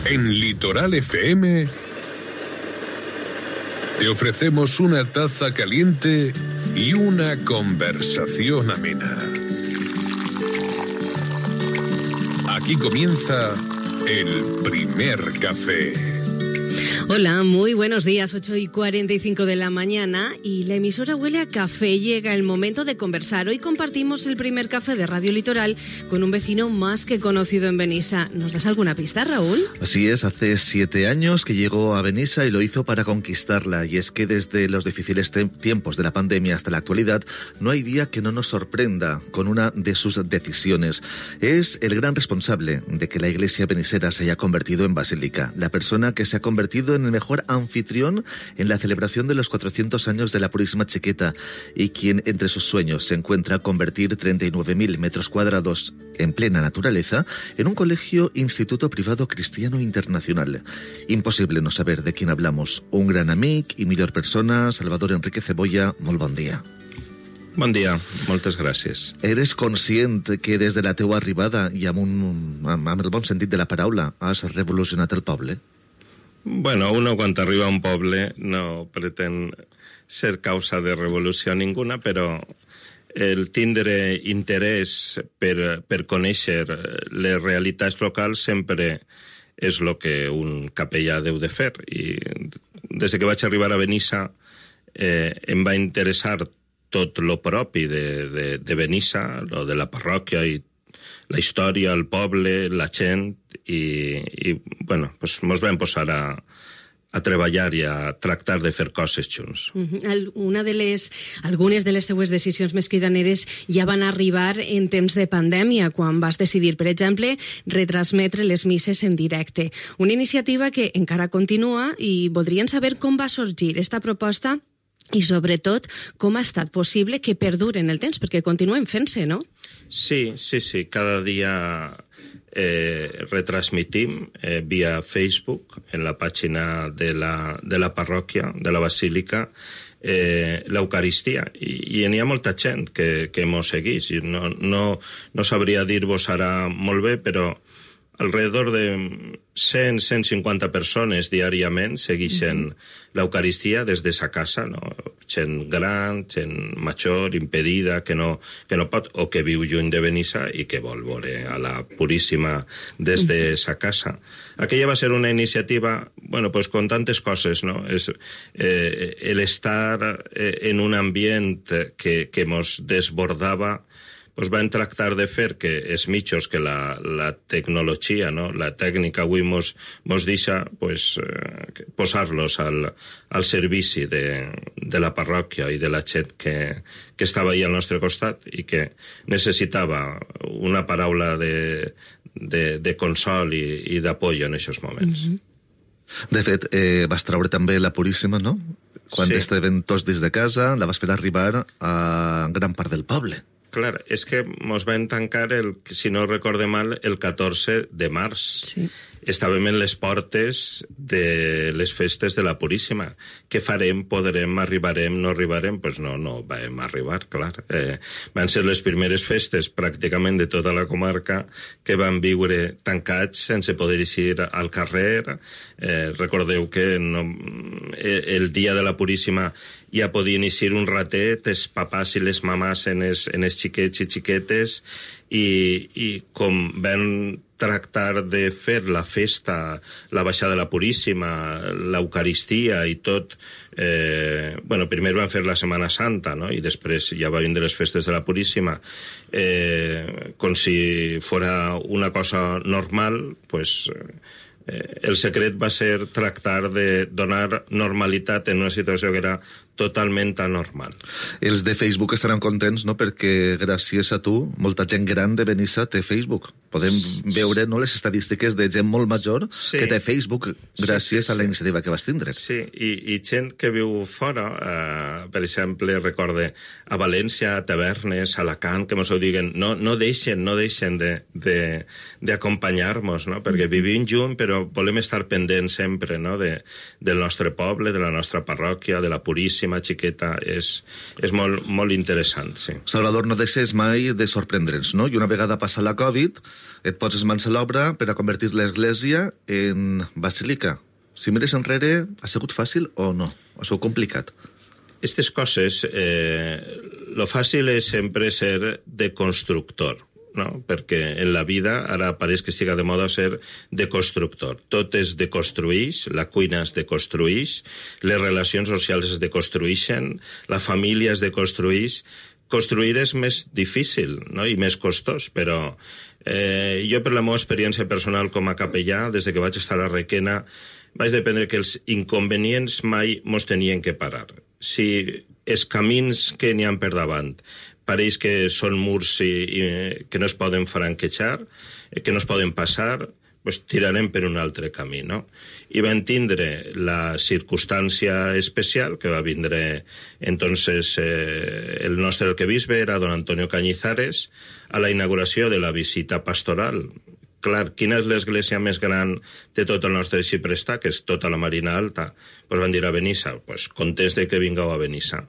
En Litoral FM te ofrecemos una taza caliente y una conversación amena. Aquí comienza el primer café. Hola, muy buenos días, 8:45 de la mañana y la emisora huele a café. Llega el momento de conversar. Hoy compartimos el primer café de Radio Litoral con un vecino más que conocido en Benissa. ¿Nos das alguna pista, Raúl? Así es, hace 7 años que llegó a Benissa y lo hizo para conquistarla. Y es que desde los difíciles tiempos de la pandemia hasta la actualidad, no hay día que no nos sorprenda con una de sus decisiones. Es el gran responsable de que la iglesia benissera se haya convertido en basílica. La persona que se ha convertido en el mejor anfitrión en la celebración de los 400 años de la Purísima Chiqueta y quien entre sus sueños se encuentra convertir 39.000 metros cuadrados en plena naturaleza en un colegio-instituto privado cristiano internacional. Imposible no saber de quién hablamos. Un gran amic i millor persona, Salvador Enrique Cebolla, molt bon dia. Bon dia, moltes gràcies. Eres conscient que des de la teua arribada i amb el bon sentit de la paraula has revolucionat el poble? Bueno, uno quan arriba a un poble no pretén ser causa de revolució ninguna, però el tindre interès per conèixer les realitats locals sempre és el que un capellà deu de fer. I des que vaig arribar a Benissa em va interessar tot lo propi de Benissa, lo de la parròquia i la història, el poble, la gent, i bueno, pues mos vam posar a treballar i a tractar de fer coses junts. Algunes de les teues decisions més cridaneres ja van arribar en temps de pandèmia, quan vas decidir, per exemple, retransmetre les misses en directe. Una iniciativa que encara continua i voldrien saber com va sorgir esta proposta i, sobretot, com ha estat possible que perdure en el temps, perquè continuen fent-se, no? Sí. Cada dia retransmitim via Facebook, en la pàgina de la parròquia, de la basílica, l'Eucaristia. I n'hi ha molta gent que mos segueix. No sabria dir-vos ara molt bé, però alrededor de 100-150 persones diàriament segueixen l'Eucaristia des de sa casa, no? Gent gran, gent major, impedida, que no pot, o que viu lluny de Benissa i que vol veure a la Puríssima des de sa casa. Aquella va ser una iniciativa, bueno, pues con tantes coses, no? El estar en un ambient que mos desbordava, pues van tractar de fer que els mitjos, que la tecnologia, no? La tècnica avui mos deixa, pues, posar-los al servici de la parròquia i de la gent que estava ahí al nostre costat i que necessitava una paraula de consol i d'apoyo en aquests moments. De fet, vas traure també la Puríssima, no? Quan estaven tots des de casa, la vas fer arribar a gran part del poble. Clar, és que mos vam tancar, si no recorde mal, el 14 de març. Sí. Estàvem en les portes de les festes de la Puríssima. Què farem? Podrem? Arribarem? No arribarem? Pues no vam arribar, clar. Van ser les primeres festes pràcticament de tota la comarca que van viure tancats sense poder eixir al carrer. Recordeu que el dia de la Puríssima ja podien eixir un ratet els papàs i les mamàs en els xiquets i xiquetes, i com van tractar de fer la festa, la baixada de la Puríssima, l'Eucaristia i tot. Primer van fer la Setmana Santa, no? I després ja va vindre les festes de la Puríssima. Com si fora una cosa normal, pues el secret va ser tractar de donar normalitat en una situació que era totalment anormal. Els de Facebook estaran contents, no?, perquè gràcies a tu molta gent gran de Benissa té Facebook. Podem veure, no, les estadístiques de gent molt major que té Facebook gràcies a la iniciativa que vas tindre. Sí, i gent que viu fora, per exemple, recorde a València, a Tavernes, a Alacant, que mos ho diguen, no deixen d'acompanyar-nos, no?, perquè vivim junt, però volem estar pendents sempre, no?, del nostre poble, de la nostra parròquia, de la Puríssima, Puríssima Xiqueta és molt, molt interessant, sí. Salvador, no deixes mai de sorprendre'ns, no? I una vegada passa la Covid, et poses mans a l'obra per a convertir l'església en basílica. Si mires enrere, ha sigut fàcil o no? Ha sigut complicat? Aquestes coses, lo fàcil és sempre ser de constructor, no? Perquè en la vida ara pareix que siga de moda ser de constructor. Tot es deconstruïx, la cuina es deconstruïx, les relacions socials es deconstruïxen, la família es deconstruïx. Construir és més difícil, no? I més costós, però jo per la meva experiència personal com a capellà, des que vaig estar a Requena, vaig dependre que els inconvenients mai mos tenien que parar. Si els camins que n'hi ha per davant pareix que són murs que no es poden franquejar, que no es poden passar, pues tirarem per un altre camí, no? I vam tindre la circumstància especial que va vindre entonces el nostre arquebisbe era don Antonio Cañizares a la inauguració de la visita pastoral. Clar, quina és l'església més gran de tot el nostre Xiprestà, que és tota la Marina Alta? Pues van dir a Benissa, pues contés de que vingueu a Benissa.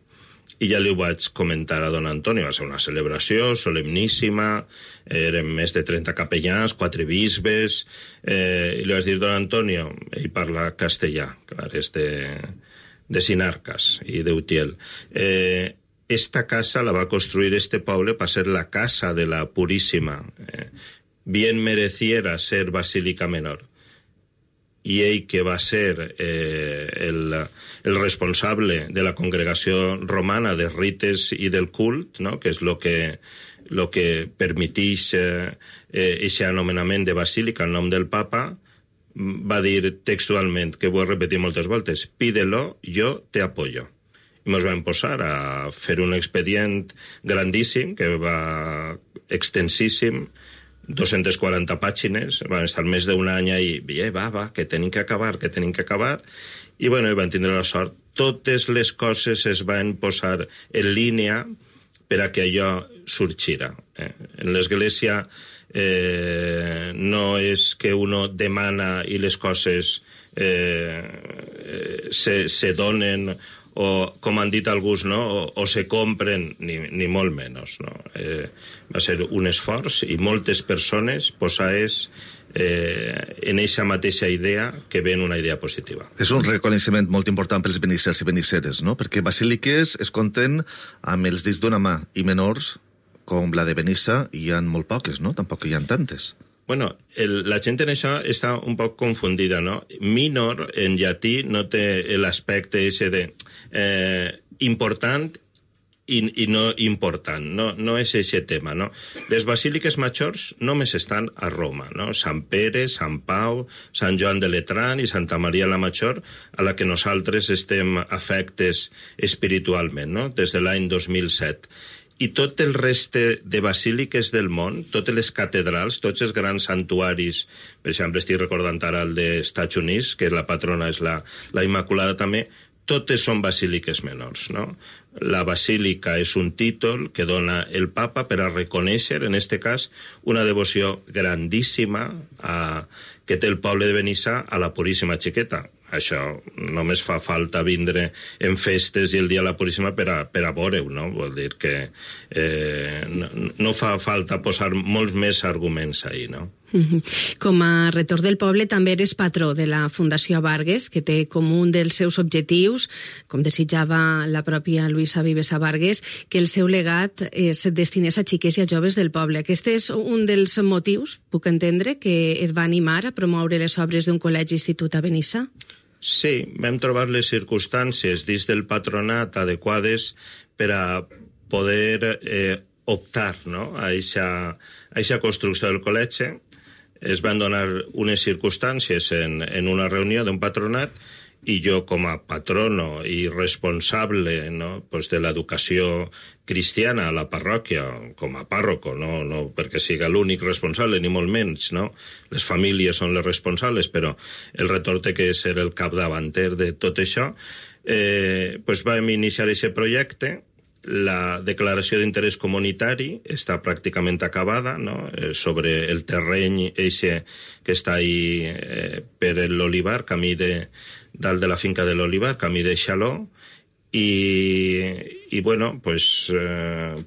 I ja li ho vaig comentar a don Antonio, va ser una celebració solemníssima, eren més de 30 capellans, 4 bisbes, i li vaig dir, don Antonio, ell parla castellà, clar, és de Sinarcas i d'Utiel. Esta casa la va construir este poble per ser la casa de la Puríssima, bien mereciera ser basílica menor. I ell, que va ser el responsable de la congregació romana de rites i del cult, no? Que és lo que permetix aquest anomenament de basílica en nom del papa, va dir textualment, que ho he repetit moltes voltes, pídelo, yo te apoyo. I ens vam posar a fer un expedient grandíssim, que va extensíssim, 240 pàgines, van estar més d'un any i que tenim que acabar, i bueno, van tindre la sort. Totes les coses es van posar en línia per a que allò sorgira. En l'església no és que uno demana i les coses se donen o, com han dit alguns, no? o se compren, ni molt menys. No? Va ser un esforç i moltes persones posades en aquesta mateixa idea que ven una idea positiva. És un reconeixement molt important pels benissers i benisseres, no? Perquè basíliques es compten amb els dits d'una mà i menors, com la de Benissa, hi ha molt poques, no? Tampoc hi ha tantes. Bueno, la gent en això està un poc confundida, no? Minor, en llatí, no té l'aspecte ese de important i no important, no és aquest tema, no? Les basíliques majors només estan a Roma, no? Sant Pere, Sant Pau, Sant Joan de Letrán i Santa Maria la Major, a la que nosaltres estem afectes espiritualment, no? Des de l'any 2007. I tot el reste de basíliques del món, totes les catedrals, tots els grans santuaris, per exemple, estic recordant ara el dels Estats Units, que la patrona és la Immaculada també, totes són basíliques menors, no? La basílica és un títol que dona el papa per a reconèixer, en aquest cas, una devoció grandíssima que té el poble de Benissa a la Puríssima Xiqueta. Això només fa falta vindre en festes i el dia de la Puríssima per a veure-ho, no? Vol dir que no fa falta posar molts més arguments ahí, no? Com a rector del poble també eres patró de la Fundació Abargues, que té com un dels seus objectius, com desitjava la pròpia Luisa Vives Abargues, que el seu legat es destinés a xiquets i a joves del poble. Aquest és un dels motius, puc entendre, que et va animar a promoure les obres d'un col·legi-institut a Benissa? Sí, vam trobar les circumstàncies dins del patronat adequades per a poder optar, no? a aquesta construcció del col·legi. Es van donar unes circumstàncies en una reunió d'un patronat i jo com a patrono i responsable, no? Pues de l'educació cristiana a la parròquia, com a pàrroco, no perquè siga l'únic responsable, ni molt menys, no? Les famílies són les responsables, però el rector té que ser el capdavanter de tot això. Pues vam iniciar aquest projecte. La declaració d'interès comunitari està pràcticament acabada, no? Sobre el terreny eixe que està ahí per l'Olivar, camí dalt de la finca de l'Olivar, camí de Xaló, i bueno, pues,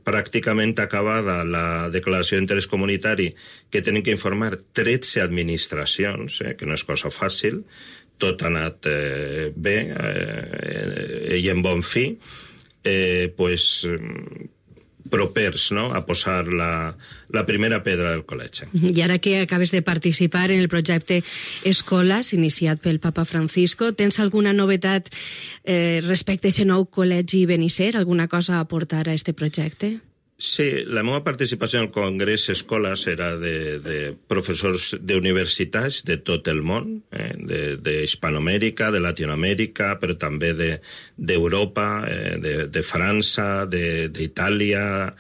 pràcticament acabada la declaració d'interès comunitari, que tenen que informar 13 administracions, que no és cosa fàcil, tot ha anat bé i en bon fi, pues, propers, no?, a posar la primera pedra del col·legi. I ara que acabes de participar en el projecte Escoles, iniciat pel Papa Francisco, tens alguna novetat respecte a aquest nou col·legi Benisser? Alguna cosa a aportar a aquest projecte? Sí, la meva participació en el Congrés Escoles era de professors d'universitats de tot el món, d'Hispanoamèrica, de Latinoamèrica, però també d'Europa, de França, d'Itàlia,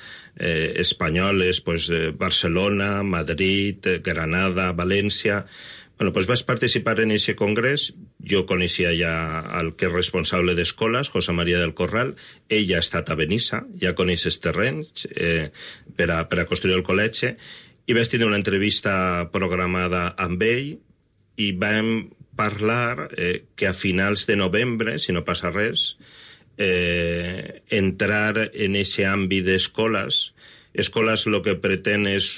espanyoles, pues, Barcelona, Madrid, Granada, València. Bueno, pues vaig participar en aquest congrés. Jo coneixia ja el que és responsable d'escoles, José María del Corral. Ell ha estat a Benissa, ja coneix els terrenys per a construir el col·legi, i vaig tenir una entrevista programada amb ell i vam parlar que a finals de novembre, si no passa res, entrar en aquest àmbit d'escoles. Escoles el que pretén és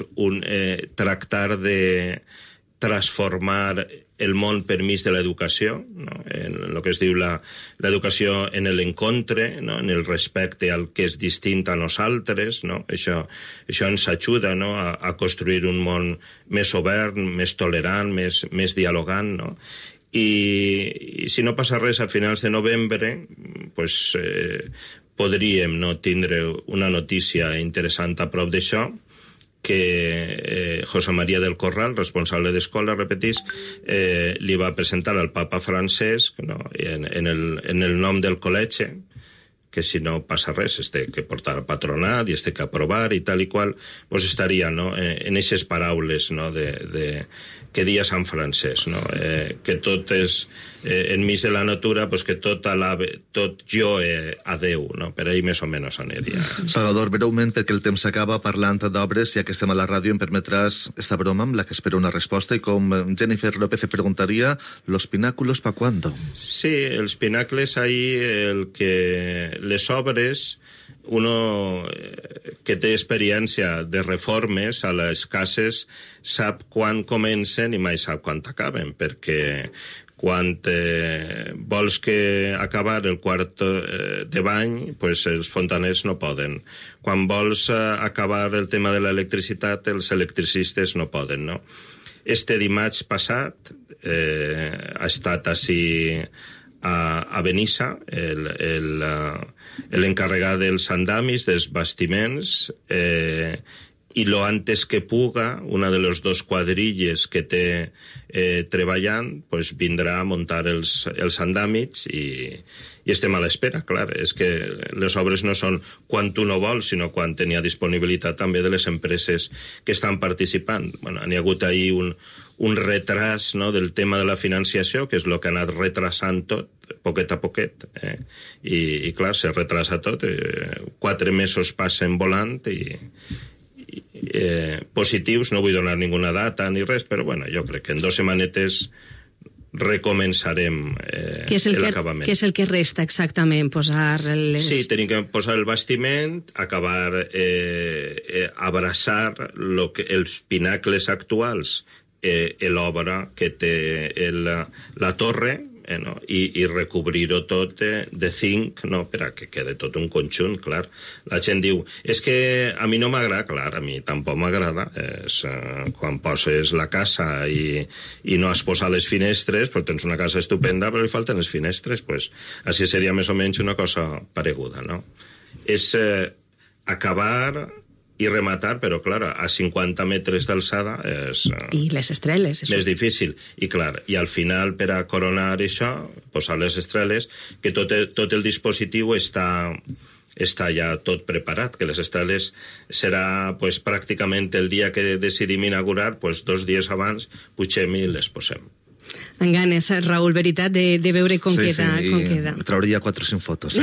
tractar de transformar el món per mig de l'educació, no? En el que es diu l'educació en l'encontre, no? En el respecte al que és distint a nosaltres, no? Això ens ajuda, no? a construir un món més obert, més tolerant, més dialogant, no? I si no passa res a finals de novembre, pues, podríem, no, tindre una notícia interessant a prop d'això, que José María del Corral, responsable d'escola, repetís, li va presentar al papa Francesc, no, en el nom del col·legi, que si no passa res, es té que portar a patronat i es té que aprovar i tal i qual, pues estaria, no, en aquestes paraules, no, que dia Sant Francesc, no, que tot és enmig de la natura, pues que tot jo a Déu, no, per ahí més o menys aniria. Salvador, breument, perquè el temps s'acaba, parlant d'obres, ja que estem a la ràdio, em permetràs esta broma amb la que espero una resposta, i com Jennifer López preguntaria, ¿los pináculos pa cuándo? Sí, els pinacles ahí, les obres, uno que té experiència de reformes a les cases sap quan comencen i mai sap quan acaben, perquè quan vols acabar el quart de bany, pues els fontaners no poden. Quan vols acabar el tema de l'electricitat, els electricistes no poden, no? Este dimarts passat ha estat així a Benissa, l'encarregat dels andamis, dels bastiments, i lo antes que puga, una de les dos quadrilles que té treballant, pues vindrà a muntar els andàmits i estem a l'espera, clar. És que les obres no són quan tu no vols, sinó quan tenia disponibilitat també de les empreses que estan participant. Bueno, n'hi ha hagut ahir un retras, no, del tema de la financiació, que és el que ha anat retrasant tot, poquet a poquet, i clar, se retrasa tot, 4 mesos passen volant i positius, no vull donar ninguna data ni res, però bueno, jo crec que en 2 setmanetes recomençarem l'acabament. Què és el que resta exactament? Posar Sí, tenim que posar el bastiment, acabar, abraçar els pinacles actuals, l'obra que té la torre, no? I recobrir-ho tot de zinc, no? Per a que quede tot un conjunt, clar. La gent diu, és que a mi no m'agrada, clar, a mi tampoc m'agrada. Quan poses la casa i no has posat les finestres, pues tens una casa estupenda, però li falten les finestres, pues així seria més o menys una cosa pareguda, no? És acabar i rematar, però, clar, a 50 metres d'alçada és... I les estreles. Més difícil. I, clar, i al final, per a coronar això, posar les estreles, que tot el dispositiu està ja tot preparat, que les estreles serà, pues, pràcticament el dia que decidim inaugurar, pues, 2 dies abans, pugem i les posem. En ganes, Raül, veritat, de veure com queda. Trauria 4 o 5 fotos.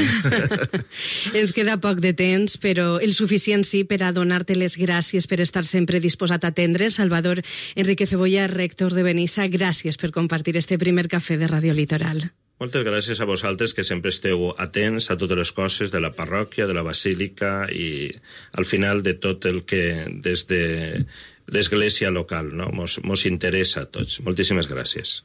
Ens queda poc de temps, però el suficient sí per a donar-te les gràcies per estar sempre disposat a atendre. Salvador Enrique Cebolla, rector de Benissa, gràcies per compartir este primer cafè de Radio Litoral. Moltes gràcies a vosaltres, que sempre esteu atents a totes les coses de la parròquia, de la basílica i al final de tot el que des de l'església local, no? Mos interessa a tots. Moltíssimes gràcies.